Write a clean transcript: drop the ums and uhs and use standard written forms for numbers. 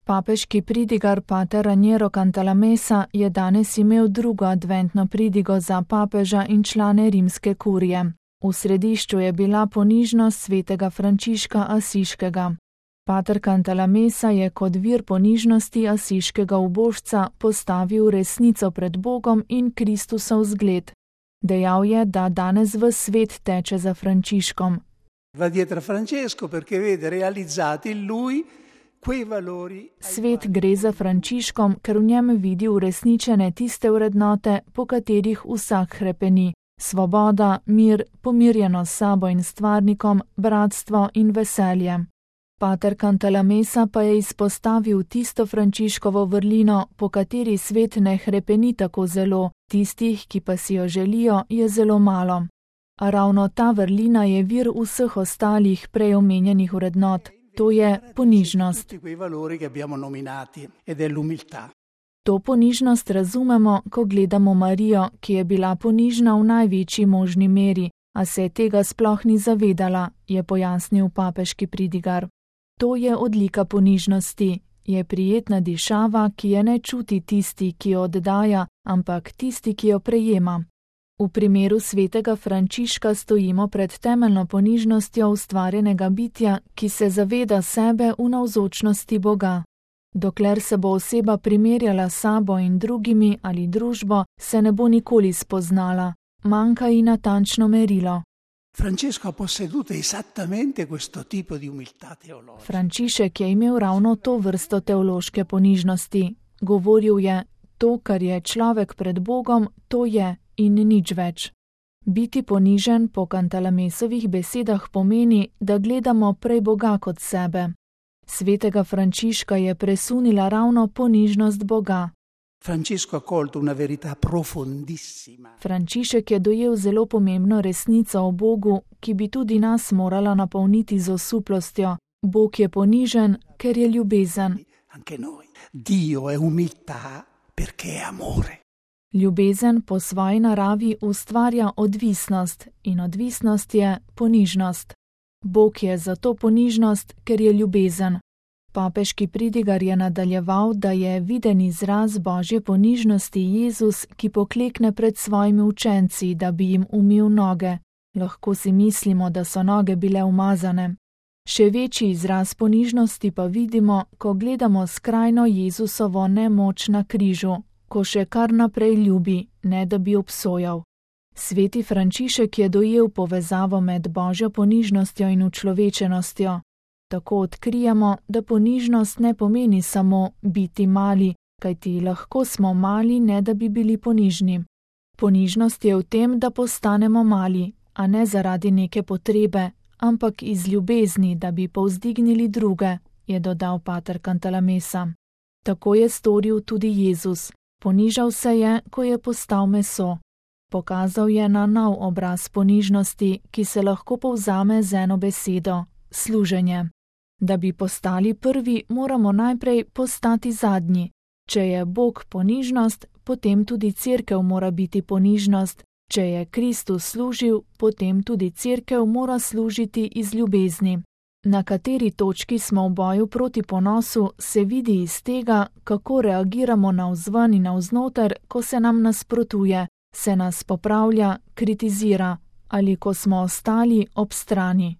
Papeški pridigar pater Raniero Cantalamessa je danes imel drugo adventno pridigo za papeža in člane rimske kurije. V središču je bila ponižnost svetega Frančiška Asiškega. Pater Cantalamessa je kot vir ponižnosti asiškega ubožca postavil resnico pred Bogom in Kristusov zgled. Dejal je, da danes ves svet teče za Frančiškom. Va dietro Francesco perché vede realizzati in lui quei valori. Svet gre za Frančiškom, ker v njem vidi uresničene tiste vrednote, po katerih vsak hrepeni: svoboda, mir, pomirjenost s sabo in stvarnikom, bratstvo in veselje. Pater Cantalamessa pa je izpostavil tisto Frančiškovo vrlino, po kateri svet ne hrepeni tako zelo, tistih, ki pa si jo želijo, je zelo malo. A ravno ta vrlina je vir vseh ostalih prej omenjenih vrednot, to je ponižnost. To ponižnost razumemo, ko gledamo Marijo, ki je bila ponižna v največji možni meri, a se tega sploh ni zavedala, je pojasnil papeški pridigar. To je odlika ponižnosti, je prijetna dišava, ki je ne čuti tisti, ki jo oddaja, ampak tisti, ki jo prejema. V primeru svetega Frančiška stojimo pred temeljno ponižnostjo ustvarjenega bitja, ki se zaveda sebe v navzočnosti Boga. Dokler se bo oseba primerjala s sabo in drugimi ali družbo, se ne bo nikoli spoznala, manjka ji natančno merilo. Frančišek je imel ravno to vrsto teološke ponižnosti. Govoril je: to, kar je človek pred Bogom, to je in nič več. Biti ponižen po Cantalamessovih besedah pomeni, da gledamo prej Boga kot sebe. Svetega Frančiška je presunila ravno ponižnost Boga. Frančišek je dojel zelo pomembno resnico o Bogu, ki bi tudi nas morala napolniti z osuplostjo. Bog je ponižen, ker je ljubezen. Ljubezen po svoji naravi ustvarja odvisnost in odvisnost je ponižnost. Bog je zato ponižnost, ker je ljubezen. Papeški pridigar je nadaljeval, da je viden izraz božje ponižnosti Jezus, ki poklekne pred svojimi učenci, da bi jim umil noge. Lahko si mislimo, da so noge bile umazane. Še večji izraz ponižnosti pa vidimo, ko gledamo skrajno Jezusovo nemoč na križu, ko še kar naprej ljubi, ne da bi obsojal. Sveti Frančišek je dojel povezavo med božjo ponižnostjo in učlovečenostjo. Tako odkrijemo, da ponižnost ne pomeni samo biti mali, kajti lahko smo mali, ne da bi bili ponižni. Ponižnost je v tem, da postanemo mali, a ne zaradi neke potrebe, ampak iz ljubezni, da bi povzdignili druge, je dodal pater Cantalamessa. Tako je storil tudi Jezus. Ponižal se je, ko je postal meso. Pokazal je na nov obraz ponižnosti, ki se lahko povzame z eno besedo: služenje. Da bi postali prvi, moramo najprej postati zadnji. Če je Bog ponižnost, potem tudi cerkev mora biti ponižnost. Če je Kristus služil, potem tudi cerkev mora služiti iz ljubezni. Na kateri točki smo v boju proti ponosu, se vidi iz tega, kako reagiramo navzven in navznoter, ko se nam nasprotuje, se nas popravlja, kritizira ali ko smo ostali ob strani.